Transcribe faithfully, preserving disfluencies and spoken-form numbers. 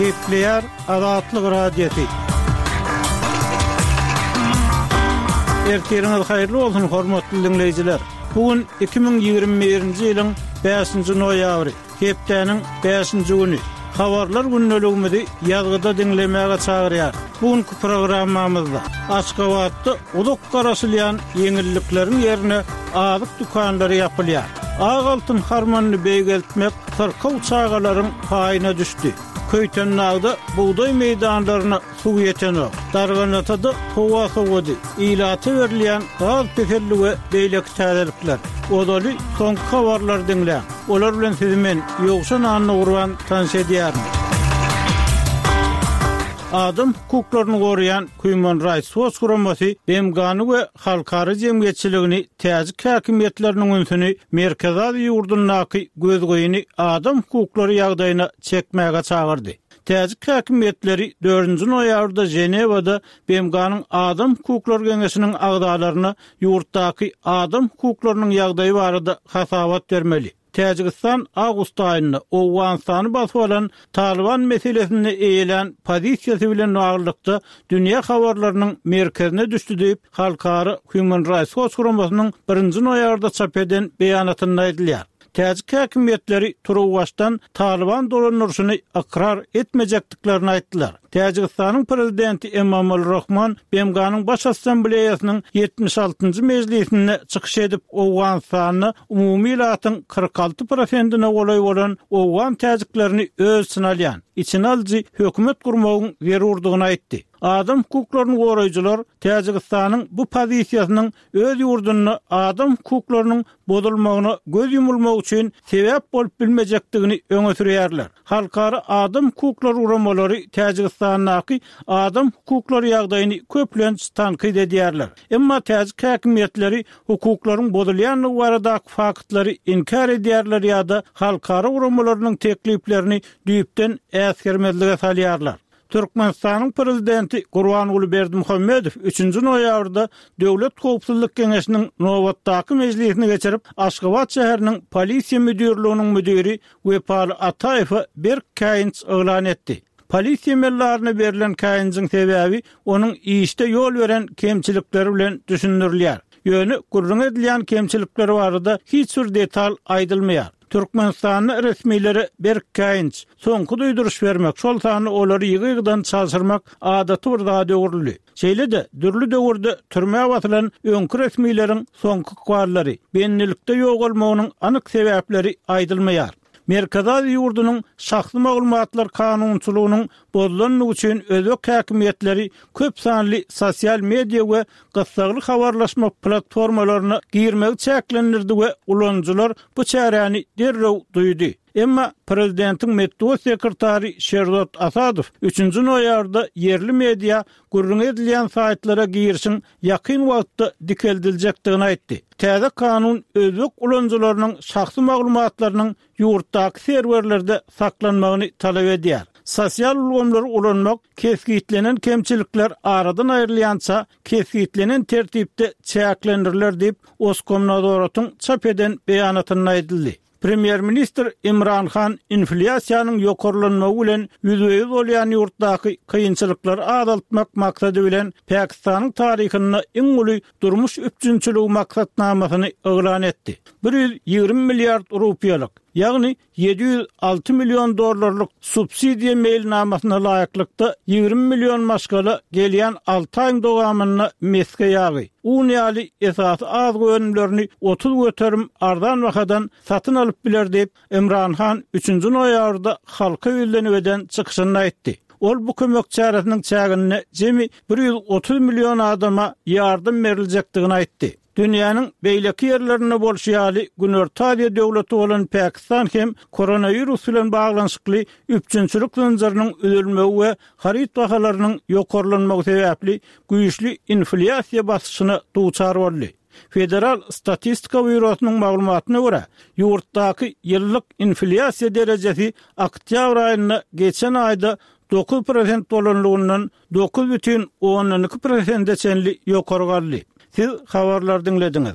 Gepleýär Azatlyk Radiosy. Ertiriňiz haýyrly bolsun, hormatly diňleýjiler! Bu gün iki müň ýigrimi birinji ýylyň bäşinji noýabry, hepdäniň bäşinji güni. Habarlar gündeligimizi ýazgyda diňlemäge çagyrýar. Bu günki programmamyzda Aşgabatda uzak garaşylýan ýeňillikleriň ýerine azyk dükanlary ýapylýar. Ak altyn harmanyny beýgeltmek syrkaw çagalaryň paýyna düşdi. Köýtendagda bugdaý meýdanlaryna suw ýetenok. Darganatada howa sowady, ilata berilýän gaz peseldi we beýleki täzelikler. Ozaly soňky habarlary diňläň. Olar bilen sizi men, Ýowşan Annagurban tanyş edýärin. Adam hukuklaryny goraýan Human Rights Watch guramasy B M G-ny we halkara jemgyýetçiligini täjik häkimiýetleriniň ünsüni Merkezi Aziýa ýurdundaky gözgyny adam hukuklary ýagdaýyna çekmäge çagyrdy. Täjik häkimiýetleri dördünji noýabrda Ženewada B M G-nyň Adam hukuklary geňeşiniň agzalaryna ýurtdaky adam hukuklarynyň ýagdaýy barada hasabat bermeli. Täjigistan awgust aýynda Owganystany basyp alan Talyban meselesinde eýelän pozisiýasy bilen baglylykda dünýä habarlarynyň merkezine düşdi diýip, halkara Human Rights Watch guramasynyň birinji noýabrda çap eden beýanatynda aýdylýar. Täjik häkimiýetleri turuwbaşdan Talyban dolandyryşyny ykrar etmejekdiklerini aýtdylar. Täjigistanyň prezidenti Emomali Rahmon B M G-nyň Baş Assambleýasynyň ýetmiş altynjy mejlisinde çykyş edip, Owganystanda umumy ilatyň kyrk alty prosentine golaý bolan owgan täjiklerini öz içine alýan, içine alyjy hökümet gurmagyň zerurdygyny aýtdy. Adam hukuklaryny goraýjylar Täjigistanyň bu pozisiýasynyň öz ýurdunda adam hukuklarynyň bozulmagyna göz ýumulmagy üçin sebäp bolup bilmejekdigini öňe sürýärler. Halkara adam hukuklary guramalary Täjigistandaky adam hukuklary ýagdaýyny köplenç tankyt edýärler. Emma täjik häkimiýetleri hukuklaryň bozulýandygy baradaky faktlary inkär edýärler ýa-da halkara guramalarynyň tekliplerini düýpden äsgermezlige salýarlar. Türkmenistanyň prezidenti Gurbanguly Berdimuhamedow üçünji noýabrda Döwlet howpsuzlyk geňeşiniň nobatdaky mejlisini geçirip, Aşgabat şäheriniň polisiýa müdirliginiň müdiri Wepaly Ataýewe berk käýinç yglan etdi. Polisiýa emeldaryna berlen käýinjiň sebäbi onuň işde ýol beren kemçilikleri bilen düşündirilýär. Ýöne gürrüň edilýän kemçilikler barada hiç bir detal aýdylmaýar. Türkmenistanda resmilere berk käýinç, soňky duýduryş bermek, şol sanda olary ýygy-ýygydan çalşyrmak adaty bir zada öwrüldi. Şeýle-de dürli döwürde türmä basylan öňki resmileriň soňky ykballary, bendilikde ýogalmagynyň anyk sebäpleri aýdylmaýar. Merkezi Aziýa ýurdunyň şahsy maglumatlar kanunçylygynyň bozulandygy üçin özbek häkimiýetleri köp sanly sosial media we gyssagly habarlaşma platformalaryna girmegi çäklendirdi we ulanyjylar bu çäräni derrew duýdy. Emma prezidentiň metbugat sekretary Şerzod Asadow üçünji noýabrda ýerli media gürrüň edilýän saýtlara girişiň ýakyn wagtda dikeldiljekdigini aýtdy. Täze kanun özbek ulanyjylarynyň şahsy maglumatlarynyň ýurtdaky serwerlerde saklanmagyny talap edýär. Sosial ulgamlary ulanmak kesgitlenen kemçilikler aradan aýrylýança kesgitlenen tertipde çäklendiriler diýip, Oskomnadzoratyň çap eden beýanatynda aýdyldy. Premýer-ministr Imran Han inflýasiýanyň ýokarlanmagy bilen ýüzbe-ýüz bolýan ýurtdaky kynçylyklary azaltmak maksady bilen Pakistanyň taryhynda iň uly durmuş üpjünçiligi maksatnamasyny yglan etdi. Bir ýüz ýigrimi milliard rupiýalyk, ýagny ýedi ýüz alty million dollarlyk subsidiýa meýilnamasyna laýyklykda ýigrimi million maşgala gelýän alty aýyň dowamynda mesge ýagy, un ýaly esasy azyk önümlerini otuz göterim arzan bahadan satyn alyp biler diýip, Imran Han üçünji noýabrda halka ýüzlenip eden çykyşynda aýtdy. Ol bu kömek çäresiniň çäginde jemi bir ýüz otuz million adama ýardam beriljekdigini aýtdy. Dünýäniň beýleki ýerlerinde bolşy ýaly, Günorta Aziýa döwleti bolan Pakistan hem koronawirus bilen baglanyşykly üpjünçilik zynjyrynyň üzülmegi we haryt bahalarynyň ýokarlanmagy sebäpli güýçli inflýasiýa basyşyna duçar boldy. Federal statistika býurosynyň maglumatyna görä, ýurtdaky ýyllyk inflýasiýa derejesi oktýabr aýynda geçen aýda dokuz prosent bolanlygyndan dokuz bütin ondan iki prosente çenli ýokary galdy. Siz habarlary diňlediňiz.